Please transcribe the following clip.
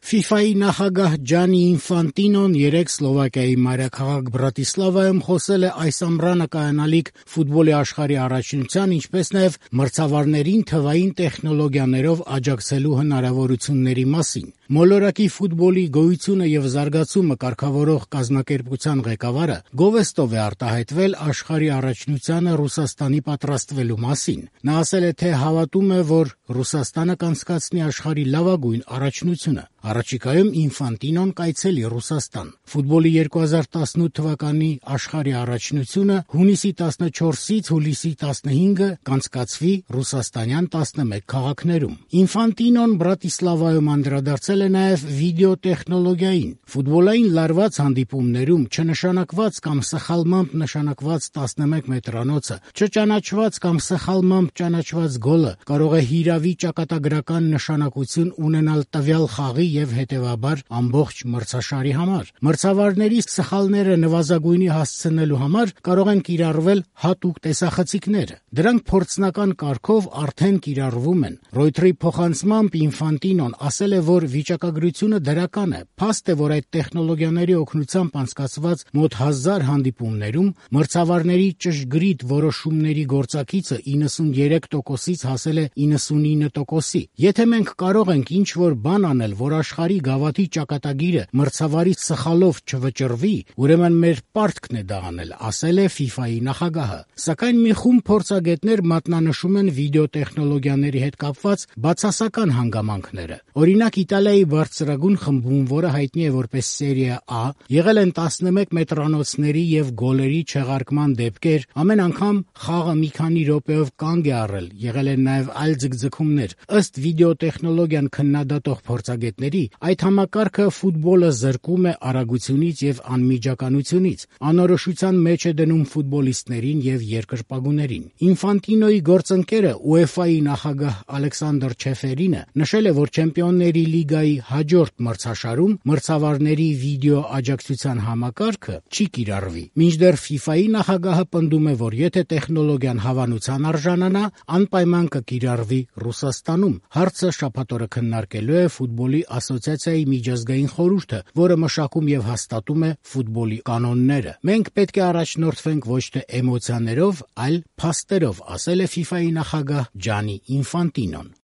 FIFA-ի նախագահ Ջանի Ինֆանտինոն երեկ Սլովակիայի մայրաքաղաք Բրատիսլավայում խոսել է այս ամռանը կայանալիք ֆուտբոլի աշխարհի առաջնության, ինչպես նաև մրցավարներին թվային տեխնոլոգիաներով աջակցելու հնարավորությունների մասին։ Մոլորակի ֆուտբոլի գոյությունը եւ զարգացումը կարգավորող կազմակերպության ղեկավարը գովեստով է արտահայտվել աշխարհի առաջնությանը Ռուսաստանի պատրաստվելու մասին։ Նա ասել է, թե հավատում է, որ Ռուսաստանը կանցկացնի աշխարհի լավագույն առաջնությունը։ Առաջիկայում Ինֆանտինոն կայցելի Ռուսաստան։ Ֆուտբոլի 2018 թվականի աշխարհի առաջնությունը հունիսի 14-ից հուլիսի 15-ը կանցկացվի ռուսաստանյան 11 քաղաքներում։ Ինֆանտինոն Բրատիսլավայում անդրադարձել է նաև վիդեոտեխնոլոգիային։ Ֆուտբոլային լարված հանդիպումներում չնշանակված կամ սխալմամբ նշանակված 11 մետրանոցը, չճանաչված կամ սխալմամբ ճանաչված գոլը կարող է հիրավի ճակատագրական նշանակություն ունենալ տվյալ խաղի եւ հետեւաբար ամբողջ մրցաշարի համար։ Մրցավարների սխալները նվազագույնի հասցնելու համար կարող են կիրառվել հատուկ տեսախցիկներ։ Դրանք փորձնական կարգով արդեն կիրառվում են։ Ռոյթերի փոխանցմամբ Ինֆանտինոն ասել է, որ վիճակագրությունը դրական է։ Փաստ է, որ այդ տեխնոլոգիաների օգնությամբ անցկացված մոտ 1000 հանդիպումներում մրցավարների ճշգրիտ որոշումների գործակիցը 93%-ից հասել է 99%-ի։ Եթե մենք կարող ենք ինչ-որ բան անել, որ աշխարհի գավաթի ճակատագիրը մրցավարի սխալով չվճռվի, ուրեմն մեր պարտքն է դա անել, ասել է FIFA-ի նախագահը։ Սակայն մի խումբ փորձագետներ մատնանշում են վիդեոտեխնոլոգիաների հետ կապված բացասական հանգամանքները։ Օրինակ, Իտալիայի բարձրագույն խմբում, որը հայտնի է որպես Սերիա A, եղել են 11 մետրանոցների եւ գոլերի չեղարկման դեպքեր, ամեն անգամ խաղը մի քանի րոպեով կանգ է առել, եղել են նաեւ այլ ձգձգումներ։ Ըստ վիդեոտեխնոլոգիան քննադատող փորձագետների, այդ համակարգը ֆուտբոլը զրկում է արագությունից եւ անմիջականությունից, անորոշության մեջ է դնում ֆուտբոլիստներին եւ երկրպագուներին։ Ինֆանտինոյի գործընկերը UEFA-ի նախագահ Ալեքսանդր Չեֆերինը նշել է, որ Չեմպիոնների լիգայի հաջորդ մրցաշարում մրցավարների վիդեո աջակցության համակարգը չի կիրառվի։ Մինչդեռ FIFA-ի նախագահը պնդում է, որ եթե տեխնոլոգիան հավանության արժանանա, անպայման կկիրառվի Ռուսաստանում։ Հարցը շաբաթ օրը քննարկելու է ֆուտբոլի ասոցիացիայի միջազգային խորհուրդը, որը մշակում եւ հաստատում է ֆուտբոլի կանոնները։ Մենք պետք է առաջնորդվենք ոչ թե էմոցիաներով, այլ փաստերով, ասել է FIFA-ի նախագահ Ջանի Ինֆանտինոն։